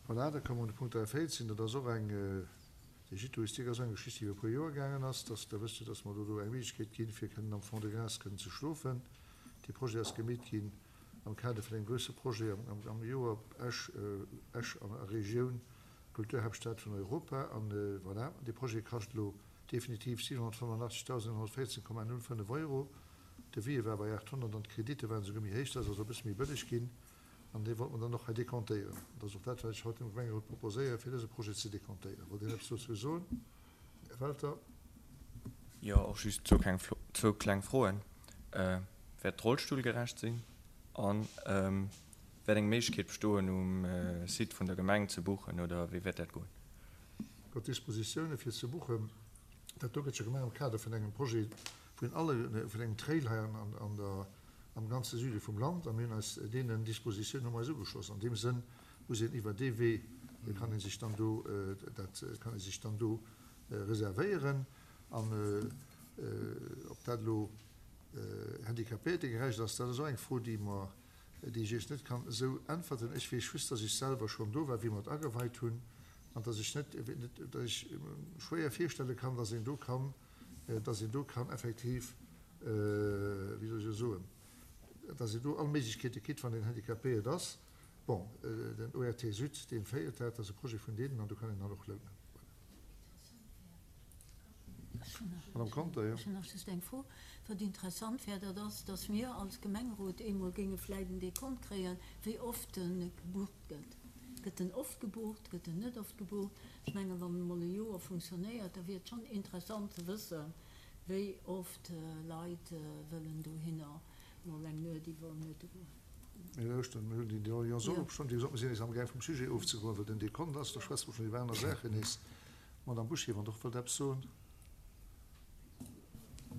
Voilà, da komme mer un de Punkt 43. Dat ass och eng, de Gîte touristique ass och eng Geschicht, déi iwwer e puer Joer gaangen ass. Dass, da wësst Dir, dass mer do do eng Méiglechkeet ginn, fir kënnen am Fond-de-Gras kënnen ze schlofen. Dee Projet ass gemeet ginn am Kader vun engem grousse Projet am Joer Esch, Esch a Regioun, Kulturhaaptstad vun Europa. An voilà, dee Projet kascht elo definitiv 785.114,05 Euro. De Devis war bei 800 an d'Kreditte waren esouguer méi héich, dat ass also e bësse méi bëlleg ginn. An dee wollte mer dann och hei dekontéieren. Dat ass och dat, wat ech haut dem Gemengerot proposéieren, fir dëse Projet ze dekontéieren. Wollt een eppes dozou soen? Här Welter. Jo, och just zwou kleng Froen. Wäert d'rollstullgerecht sinn? A wäert eng Méiglechkeet bestoen, um Site vun der Gemeng ze buchen, oder wéi wäert dat goen? Gott Dispositioune fir ze buchen. Dat do gëtt jo gemaach am Kader vun engem Projet vun alle, vun engem Trail hei an der, am ganze Süde vum Land. A mir hunn eis deenen Dispositiounen hu mer eis ugeschloss. An deem Sënn muss een iwwer dee Wee, kann ee sech dann do dat, kann ee sech dann do reservéieren. An ob dat elo handicapéiertegerecht ass, dat ass och eng Fro, déi mer, déi ech Iech net kann esou äntwerten. Ech weess just, dass ech selwer schonn do war, wéi mer et ageweit hunn, an dass ech net, dass ech schwéier virstelle kann, dass een do kann, dass een do kann effektiv, wéi soll ech elo soen, dass een do all Méiglechkeete kritt, wann een handicapéiert ass. Bon, den ORT Sud, dee féiert dat, dat ass e Projet vun deenen, an do kann een dann och lounen. Voilà. Madame Conter, jo. Ech hunn nach just eng Fro. Wat interessant wär, dat ass, dass mir als Gemengerot eemol géinge vläicht en Dekont kréien, wéi oft e gebucht gëtt. Gëtt en oft gebucht, gëtt en net oft gebucht? Ech mengen, wann en emol e Joer funktionéiert, da wier et schonn interessant ze wëssen, wéi oft Leit wëllen dohinner mol eng Nuet iwwernuete goen. Mir lauschteren, mir hunn déi Doléance och opgeschriwwen. Wéi gesot, mir sinn nees amgaang vum Sujet ofzegoen, well den Dekont ass, da schwätze mer schonn iwwer aner Saachen nees. Madame Bouché, wann Der och wëllt eppes soen.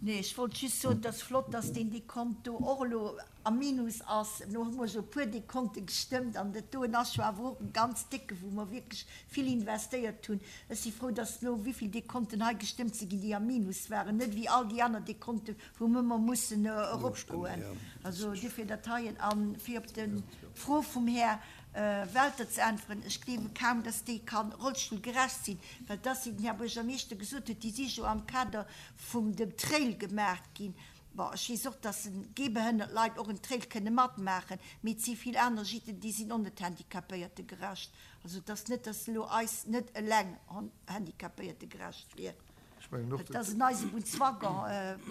Nee, ech wollt just soen, et ass flott, dass deen Dekont do och elo am Minus ass. Elo hu mer scho e puer Dekonte gestëmmt an dat doen ass jo awer och e ganz décke, wou mer wierklech vill investéiert hunn. Ech si frou, dass elo wéivill Dekonten hei gestëmmt si ginn, déi am Minus waren, net wéi all déi aner Dekonten, wou mer ëmmer mussen eropgoen. Also duerfir dat heien. A fir op d'Fro vum Här Welter ze äntweren, Ech gleewe kaum, dass déi ka rollstullgerecht sinn, well dass, wéi den Här Buergermeeschter gesot huet, déi si jo am Kader vum dem Trail gemaach ginn. Bon, ech weess och, dass gehbehënnert Leit och en Trail kënne matmaachen, mee et si vill aner Gitten, déi sinn och net handicapéiertegerecht. Also et ass net, dass elo eis net eleng handicapéiertegerecht wier. Ech mengen och, Et ass en Eisebunnswaggon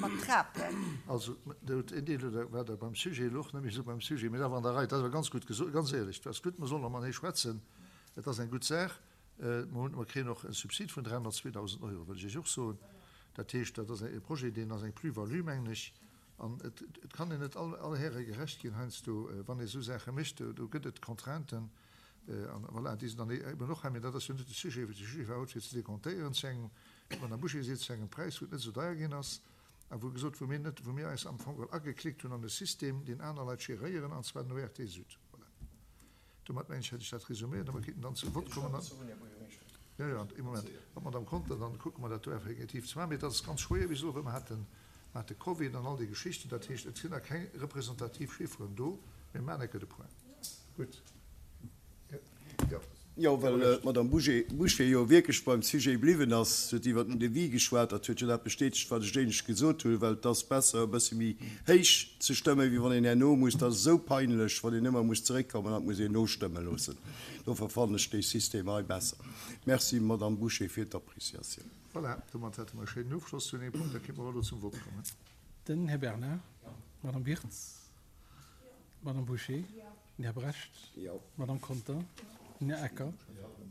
mat Trapen. Also, een Deel war Der beim Sujet, elo och net méi esou beim Sujet, mee awer an der Rei. Dat ass awer ganz gutt gesot, ganz éierlech, dat ass gutt. Mer sollen och matenee schwätzen. Et ass eng gutt Saach. Mer hunn, mer kréien och e Subsid vun 302.000 Euro, wëll ech Iech och soen. Dat heescht, dat ass e Projet, deen ass eng Plus-value, mengen ech. An et, et kann een net all, all Häre gerecht ginn heiansdo, wann ee esou Saache mécht. Do gëtt et Contrainten. An voilà, déi sinn dann eben och hei. Mee dat ass jo net de Sujet. De Sujet war haut, fir ze dekontéieren zu engem, wéi d'Madame Bouché seet, zu engem Präis, wou et net esou deier ginn ass a wou gesot, wou mir net, wou mir eis am Fong geholl ageklickt hunn an e System, deen aner Leit geréieren, an zwar den ORT Sud. Voilà. Domat, mengen ech, hätt ech dat resuméiert a mer kéinten dann zum Vott kommen. Jo, jo, ee Moment, mat d'Madame Conter, dann kucke mer dat do effektiv ze maachen. Mee dat ass ganz schwéier, wéi gesot, well mer haten, mer hate Covid an all déi Geschichten. Dat heescht, et sinn nach keng representativ Chifferen do. Mee maachen enke de Point. Gutt. Jo. Jo, well d'Madame Bouché jo wierklech beim Sujet bliwwen ass. Se huet iwwer den Devis geschwat. Dat huet jo dat bestätegt, wat ech éinescht gesot hunn, well et ass besser, e bësse méi héich ze stëmmen, wéi wann een herno muss, dat ass esou peinlech, wann een ëmmer muss zeréckkommen an et muss een nostëmme loossen. Dofir fannen ech dee System hei besser. Merci, Madame Bouché, fir d'Appreciatioun. Voilà, domat hätte mer e schéinen Ofschloss zu deem Punkt. Da kéinte mer elo zum Vott kommen. Den Här Bernard, d'Madame Wirtz, d'Madame Bouché. Den Här Brecht. Jo. D'Madame Conter. Den Här Ecker.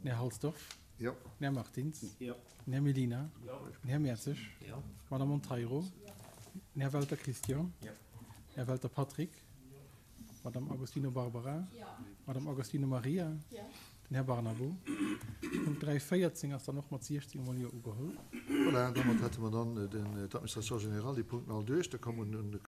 Den Här Halsdorf. Jo. Den Här Martins. Jo. Den Här Mellina. Den Här Mertzig. Jo. D'Madame Monteiro. Den Här Welter Christian. Jo. Den Här Welter Patrick. D'Madame Agostino Barbara. D'Madame Agostino Maria. Den Här Barnabo. Punkt 3, 14 ass dann och mat 16 mol Jo ugeholl. Voilà, domat hätte mer dann d'Administration générale, déi Punkten all duerch. Da komme mer un de.